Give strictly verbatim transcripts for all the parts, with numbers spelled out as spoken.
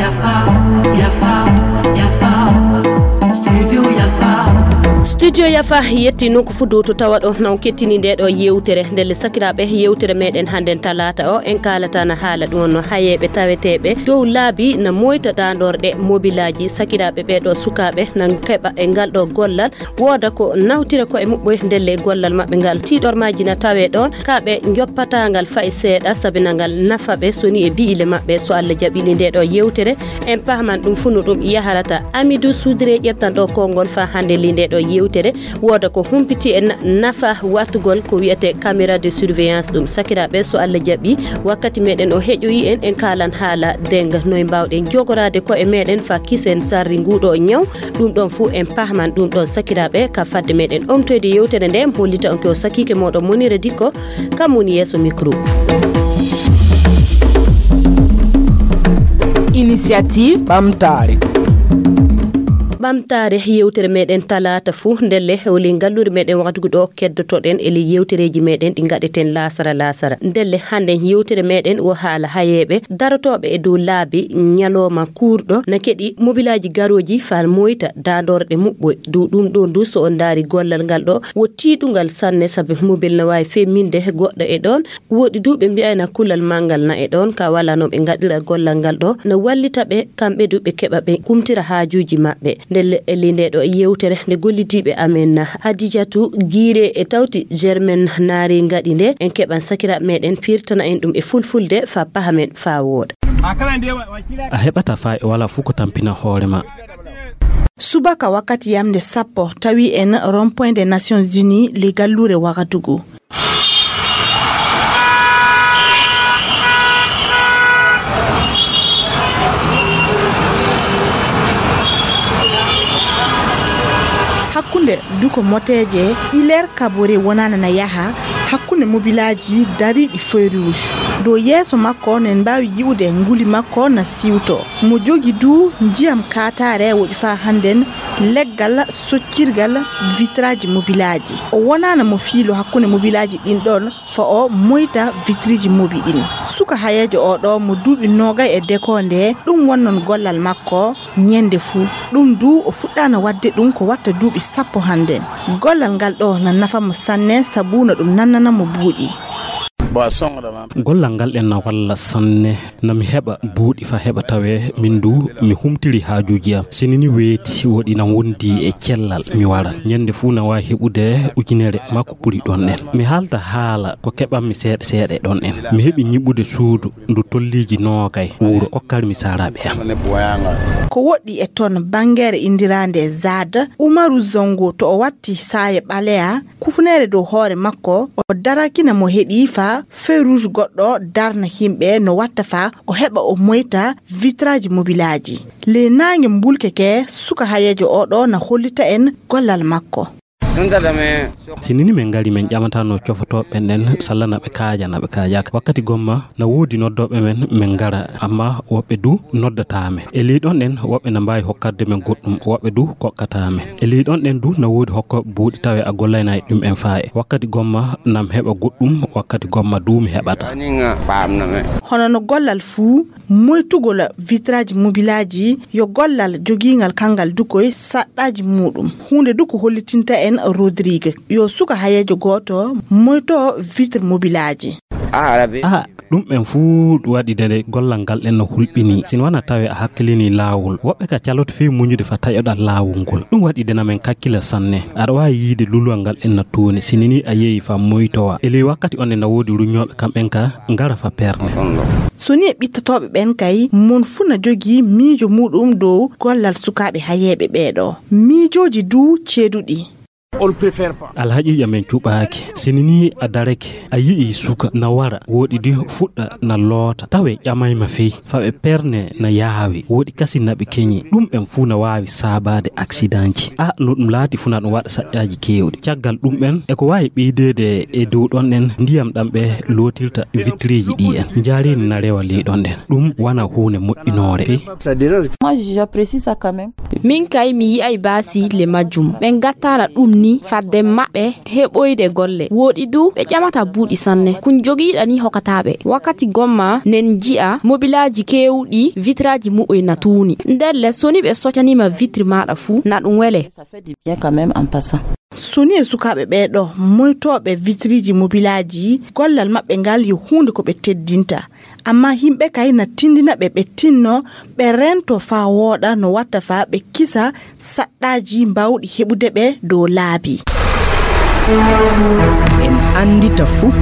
Yafa, yafa, yafa. Studio yafa. Studio yafa yetti nokku fuu dow to tawa ɗo na on kettini nde ɗo yewtere. Ndelle sakiraaɓe, yewtere meɗen hannden talaata o, en kaalata na haala ɗum wonno hayeeɓe taweteeɓe dow laabi na moyta daandorɗe mobilaaji. Sakiraaɓe ɓee ɗo sukaaɓe na keɓa e ngal ɗo gollal, wooda ko nawtira ko e muɓɓoy ndelle gollal maɓɓe ngal. Tiiɗormaaji na tawee ɗoon, ka ɓe njoppataa ngal fay seeɗa, sabi na ngal nafa ɓe soni e bi'ile maɓɓe. So Allah jaɓi li nde ɗo yewtere, en pahman ɗum fuu no ɗum yaharata. Amidou Soudré ƴettan ɗo konngol faa hannde li nde ɗo yewtere, wooda ko humpiti en nafa wattugol ko wiyetee caméra de surveillance ɗum. Sakiraaɓe, so Allah jaɓi, wakkati meɗen o heƴoyi en, en kaalan haala denga. Noy mbaawɗen jogoraade ko e meɗen faa kisen sarri nguɗo ñaw? Ɗum ɗon fuu en pahman ɗum ɗon sakiraaɓe. Ka fadde meɗen omtoyde yewtere nde, mi hollita on ko sakiike moɗon Monira Dikko, kam woni yeeso micro. Initiative Ɓamtaare. Ɓamtaare yewtere meɗen talaata fuu, ndelle holi ngalluure meɗen waktugu ɗo keddotoɗen e ley yewtereeji meɗen ɗi ngaɗeten laasara laasara. Ndelle hannden yewtere meɗen o haala hayeeɓe darotooɓe e dow laabi ñalooma kuurɗo na keɗi mobilaaji garooji faa moyta daandorɗe muɓɓoy. Dow ɗum ɗo ndu so on ndaari gollal ngal ɗo wo tiiɗungal sanne, sabi mobil na waawi femminde goɗɗo e ɗoon. Woodi du ɓe mbi'ayna kulal manngal na e ɗoon, ka wala no ɓe ngaɗira gollal ngal ɗo, na wallita ɓe, kamɓe du ɓe keɓa ɓe kumtira haajuuji maɓɓe. Ndelle e ley nde ɗo yewtere nde gollidiiɓe amen Hadijatu Giire e tawti Germaine Naari ngaɗi nde, en keɓan sakiraaɓe meɗen pirtana en ɗum e fulfulde faa pahamen faa wooɗa. A heɓata faa e wala fuu ko tampina hoore ma. Subaka wakkati yamnde sappo tawi en rond-point des Nations Unies le galluure Wagadugu. Hakkunde duko moteeje, Hilaire Kabore wonana na yaha hakkunde mobilaaji dariiɗi feu rouge. Dow yeeso makko nen mbaawi yi'ude nguli makko na siwto. Mo jogi du ndiyam kaataare woɗi faa hannden leggal soccirgal vitraaji mobilaaji. O wonaana mo fiilo hakkunde mobilaaji ɗin ɗon faa o moyta vitriiji mobi ɗin. Suka hayeejo oo ɗoo mo duuɓi noogay e dekoonde, ɗum wonnon gollal makko ñande fuu. Ɗum du o fuɗɗaana waɗde ɗum ko watta duuɓi sappo hannden. Gollal ngal ɗoo na nafa mo sanne sabu na ɗum nannana mo buuɗi. Gollal ngal ɗen na walla sanne. Na mi heɓa buuɗi faa heɓa tawee min du mi humtiri haajuuji am. Si ni ni weeti woɗi na wondi e cellal mi wara. Ñande fuu na waawi heɓude ujunere maa ko ɓuri ɗon ɗen. Mi haalta haala ko keɓanmi seeɗa seeɗa e ɗon ɗen. Mi heɓi ñiɓude suudu ndu tolliiji noogay wuro kokkarmi saaraaɓe am. Ko woɗɗi e ton bangeere indiraande Zad, Umaru Zongo to o watti saaye ɓaleya, kufuneere dow hoore makko, o darakina mo heɗi faa feu rouge goɗɗo darna himɓe no watta faa o heɓa o moyta vitraaji mobilaaji. Ley naange mbulke ke, suka hayeejo oo ɗoo na hollita en gollal makko. Si ni ni min ngari, min ƴamata no cofotooɓe ɓen ɗen sallana ɓe kaaja na ɓe kaajaaka. Wakkati gomma na woodi noddooɓe men, min ngara, amma woɓɓe du noddataa men. E ley ɗon ɗen, woɓɓe na mbaawi hokkarde men goɗɗum, woɓɓe du kokkataa men. E ley ɗon ɗen du, na woodi hokkooɓe buuɗi tawe a gollaynaay ɗum en faaye. Wakkati gomma nam heɓa goɗɗum, wakkati gomma du mi heɓata. Hono no gollal fuu, moytugol vitraaji mobilaaji yo gollal jogiingal kanngal du koy saɗɗaaji muuɗum. Huunde du ko hollitinta en Rodrigue, yo suka hayeejo gooto moyto vitre mobilaaji. Aha, ɗum en fuu waɗi de gollal ngal ɗen no hulɓinii. Si no wona tawe a hakkilinii laawol, woɓɓe ka caloto fii muñude fa taƴoɗal laawol ngol. Ɗum waɗi de na men kakkila sanne. Aɗa waawi yiide lulwal ngal ɗen na tooni, si ni ni a yehi fa moytowa. E ley wakkati on ne na woodi ruñooɓe kamɓen ka ngara fa perne. So ni e ɓittotooɓe ɓen kay, mon fuu na jogii miijo muuɗum dow gollal sukaaɓe hayeeɓe ɓee ɗoo. Miijooji du ceeduɗi. Alhaqiiqa men cuɓaaki. Si ni ni a darake, a yi'ii suka na wara, woɗi di fuɗɗa na loota, tawe ƴamayma fey, fa ɓe perne na yaawi, woɗi kasi na ɓe keñi. Ɗum en fuu na waawi saabaade aksidanji. A, no ɗum laati fuu na ɗum waɗa saƴƴaaji keewɗi. Caggal ɗum en, e ko waawi ɓeydeede e dow ɗon ɗen ndiyam ɗam ɓe lootirta vitriiji ɗi en. Njaareendi na rewa ley ɗon ɗen. Ɗum wona huunde moƴƴinoore fey. Moi, j'apprécie ça quand même. Min kay mi yi'ay baasi le majjum. Ɓe ngattaana ɗum ni fadde maɓɓe heɓoyde golle. Wooɗi du ɓe ƴamata buuɗi sanne. Kun jogiiɗa ni hokata ɓe. Wakkati gomma nen ji'a mobilaaji keewɗi vitraaji muɓɓoy na tuuni. Ndelle so ni ɓe socanima vitri maɗa fu na ɗum wele. Ça fait du bien quand même en passant. So ni e sukaaɓe ɓee ɗo moytooɓe vitriiji mobilaaji, gollal maɓɓe ngal yo huunde ko ɓe teddinta. Amma yimɓe kay na tindina ɓe ɓe tinno, ɓe rento faa wooɗa no watta faa ɓe kisa saɗɗaaji mbawɗi heɓude ɓe dow laabi. En anndita fuu.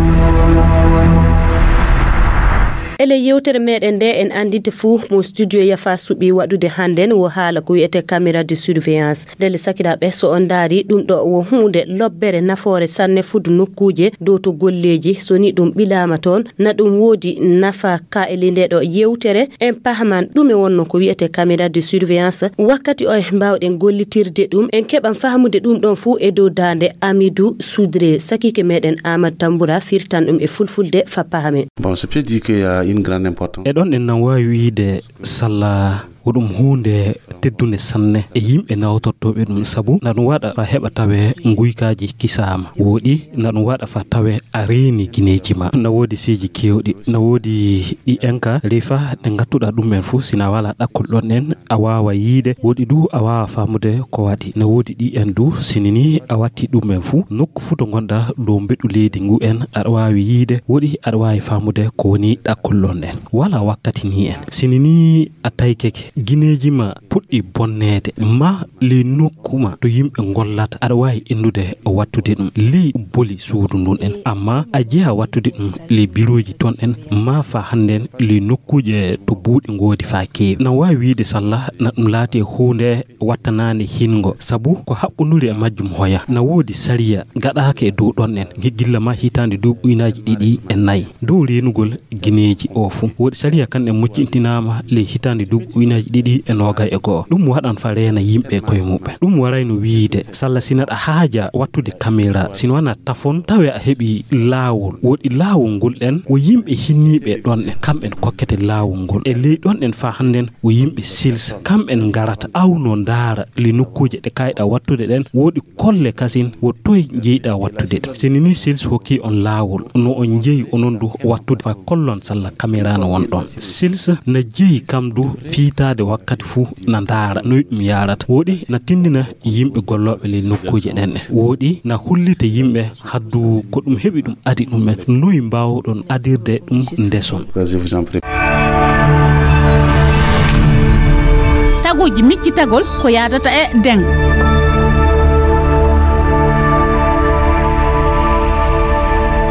Ele yewtere meɗen nde en anndita fuu mo studio Yafa suɓi waɗude hannden wo haala ko wiyetee caméra de surveillance. Ndelle sakiraaɓe, so on ndaari ɗum ɗo wo huunde lobbere nafoore sanne fuɗɗo nokkuuje dow to golleeji. So ni ɗum ɓilaama toon, na ɗum woodi nafa ka ele nde ɗo yewtere. En pahaman ɗume wonno ko wiyetee caméra de surveillance, wakkati oye mbaawɗen gollitirde ɗum. En keɓan fahmude ɗum ɗon fuu e dow daande Amidou Soudré. Sakiike meɗen Amadou Tamboura firtan ɗum e fulfulde fa pahamen. Bon, c'est peut dire qu'il y a une grande importance. E ɗon en nan waawi wiide salla ko ɗum huunde teddunde sanne e yimɓe nawtortooɓe ɗum, sabu na ɗum waɗa fa heɓa tawe nguykaaji kisaama. Wooɗi na ɗum waɗa fa tawe a reeni gineeji ma. Na woodi siiji keewɗi, na woodi ɗi en ka ley fa ɗe ngattuɗa ɗum en fuu, sina wala ɗakkol ɗon en a waawa yiide, woodi du a waawa faamude ko waɗi. Na woodi ɗi en du, sini ni a watti ɗum en fuu, nokku fuu to ngonɗa dow mbeɗu leydi ngu en, aɗa waawi yiide, woodi aɗa waawi faamude ko woni ɗakkol ɗon en. Wala wakkati ni en. Sini ni a taykeke, gineeji ma puɗɗi bonneede, ma ley nokku ma to yimɓe ngollata, aɗa waawi inndude wattude ɗum ley boli suudu ndun en. Amma a jeyaa wattude ɗum ley birooji ton en, ma fa hannden ley nokkuuje to buuɗi ngoodi fa keewi. Na waawi wiide salla na ɗum laati e huunde wattanaande hingo, sabu ko haɓɓunduri e majjum hoya. Na woodi sariya gaɗaaka e dow ɗon en, gi-, gilla ma hitaande duuɓi ujunaaji ɗiɗi e nayi. Dow reenugol gineeji o fuu. Woodi sariya kan en muccintinaama ley hitaande duuɓi ujunaaji ɗiɗi e noogay e go'o. Ɗum waɗan fa reena yimɓe koye muɓɓen. Ɗum warayno wiide, salla sina ɗa haaja wattude kamera, sina wana tafon, tawe a heɓi laawol. Woodi laawol ngol ɗen, wo yimɓe hinniiɓe ɗon en, kamɓen kokkete laawol ngol. E ley ɗon en fa hannden, wo yimɓe sils, kamɓen ngarata, awno ndaara, ley nokkuuje ɗe kayɗa wattude ɗen, woodi kolle kasin wo toy njeyɗa wattude ɗe. Sini ni sils hokki on laawol, no on njeyi onon du wattude fa kollon salla kamera no won ɗon. Sils na jeyi kam du fiitaade wakkati fuu na ndaara noy ɗum yaarata. Woodi na tindina yimɓe gollooɓe ley nokkuuje ɗen ɗe. Woodi na hollita yimɓe haddu ko ɗum heɓi ɗum adi ɗum en. Noy mbaawɗon adirde ɗum ndeson? Je vous en prie. Taguuji miccitagol ko yaadata e deng.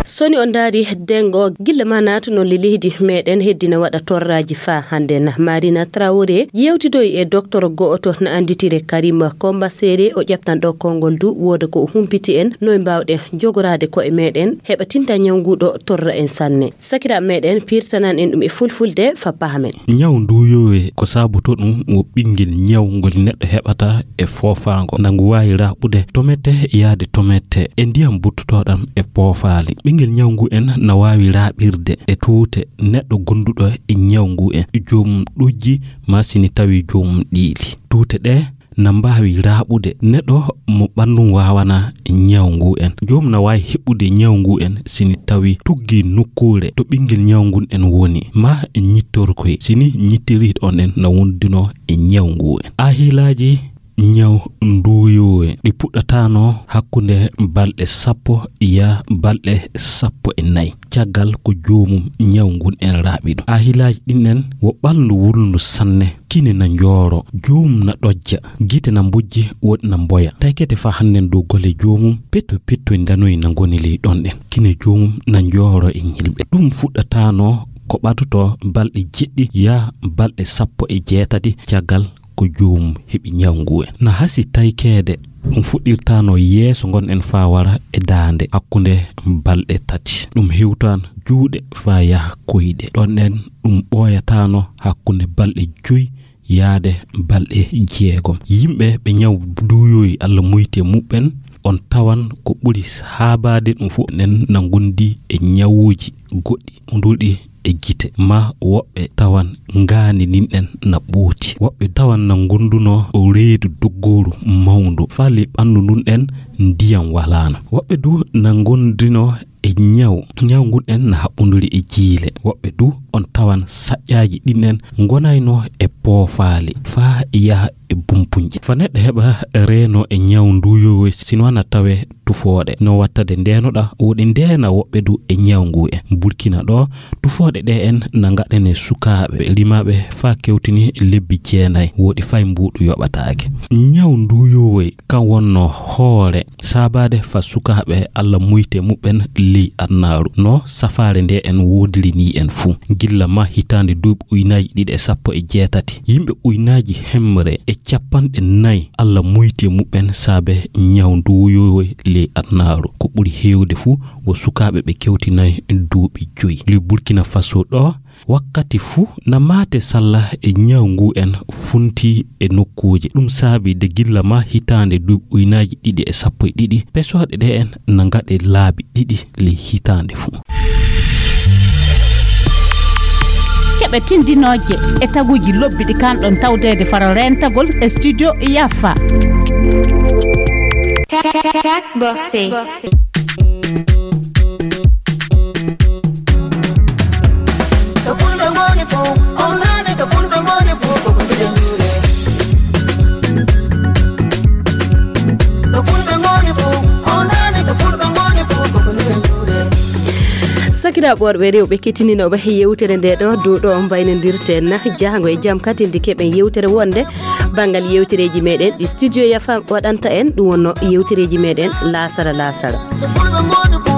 So ni on ndaari deng o, gilla ma naatuno le leydi meɗen heddina waɗa torraaji fa hannden. Marina Traoré yewtidoyi e docteur go'oto na annditire Karim Komba Sere, o ƴeftan ɗo konngol du wooda ko o humpiti en, noy mbaawɗen jogoraade ko'e meɗen heɓa tinta ñaw ngu ɗo torra en sanne. Sakiraaɓe meɗen, pirtanan en ɗum e fulfulde fa pahamen. Ñaw nduuyowe ko saaboto ɗum wo ɓinngel ñaw ngol neɗɗo heɓata e foofaango. Na ngu waawi raaɓude tomette yaade tomette e ndiyam buttotooɗam e poofaali. Ɓinngel ñaw ngu en na waawi raaɓirde e tuute neɗɗo gonduɗo e ñaw ngu en, joomum ɗojji ma sini tawi joomum ɗiili. Tuute ɗe na mbaawi raaɓude neɗɗo mo ɓanndum waawana ñaw ngu en. Joomum na waawi heɓɓude ñaw ngu en sini tawi tuggi nokkuure to ɓinngel ñaw ngun en woni, ma ñittorkoy sini ñittiri ɗon en na wondino e ñaw ngu en. Ahilaaji ñaw nduuyowe ɗi puɗɗataano hakkunde balɗe sappo yaa balɗe sappo e nayi caggal ko joomum ñaw ngun en raaɓi ɗum. Ahilaaji ɗin en wo ɓalndu wulndu sanne, kine na njooro, joomum na ɗojja, gite na mbojji, woɗi na mboya. Taykete fa hannden dow gole joomum, petto petto ndanoy na ngoni ley ɗon ɗen. Kine joomum na njooro e ñilɓe. Ɗum fuɗɗataano ko ɓaduto balɗe jeɗɗi yaa balɗe sappo e jeetati caggal ko joomum heɓi ñaw ngu en. Na hasi taykeede, ɗum fuɗɗirtaano yeeso ngon en faa wara e daande hakkunde balɗe tati. Ɗum hewtaan juuɗe faa yaha koyɗe. Ɗon en ɗum ɓooyataano hakkunde balɗe joy yaade balɗe jeegom. Yimɓe ɓe ñaw duuyoyi Alla muyti e muɓɓen, on tawan ko ɓuri haabaade ɗum fof enen na ngondi e ñawuuji goɗɗi. Nduuɗi e gite, ma woɓɓe tawan ngaandi ndin ɗen na ɓooti. Woɓɓe tawan na ngondunoo reedu doggooru mawndu, faa ley ɓanndu ndun ɗen ndiyam walaano. Woɓɓe du na ngondunoo e ñaw, ñaw ngun ɗen na haɓɓunduri e jiile. Woɓɓe du on tawan saƴƴaaji ɗin ɗen ngonaynoo e poofaali faa yaha e bumpunje. Faa neɗɗo heɓa reenoo e ñaw ndu yoowoy, si no na tawee tufooɗe. No wattade ndeenoɗaa, woɗi ndeena woɓɓe du e ñaw ngu en. Burkina ɗoo, tufooɗe ɗe en na ngaɗanee sukaaɓe rimaaɓe faa kewtini lebbi jeenay, woɗi fay mbuuɗu yoɓataake. Ñaw ndu yoowoy kan wonnoo hoore saabaade faa sukaaɓe Alla muyti e muɓɓen ley adunaaru, no safaare nde en woodiri nii en fuu. Gilla maa hitaande duuɓi ujunaaji ɗiɗi e sappo e jeetati, yimɓe ujunaaji hemre e cappanɗe nay Alla muyti e muɓɓen saabe ñaw ndu yoowoy ley adunaaru. Ko ɓuri heewde fuu wo sukaaɓe ɓe kewtinaay duuɓi joyi. Ley Burkina Faso ɗoo, wakkati fuu na maate salla e ñaw ngu en funti e nokkuuje. Ɗum saabi de gilla maa hitaande duuɓi ujunaaji ɗiɗi e sappo e ɗiɗi, pesooɗe ɗe en na ngaɗe laabi ɗiɗi ley hitaande fuu. Keɓe tindinooje e taguuji lobbi ɗi kanɗon tawdeede faro reentagol e studio Yafa. Cat Borsé. To fulɓe ngoni fof, on nani to fulɓe ngoni fof, ko ko mbiɗen juuɗe. To fulɓe ngoni fof, on nani to fulɓe ngoni fof, ko ko mbiɗen juuɗe. Sakiraaɓe worɓe e rewɓe kettininooɓe yewtere nde ɗo, dow ɗo mbaynodirten na jaango e jam katindi keɓen yewtere wonde banngal yewtereeji meɗen ɗi studio Yafa waɗanta en, ɗum wonno yewtereeji meɗen laasara laasara. To fulɓe ngoni fof,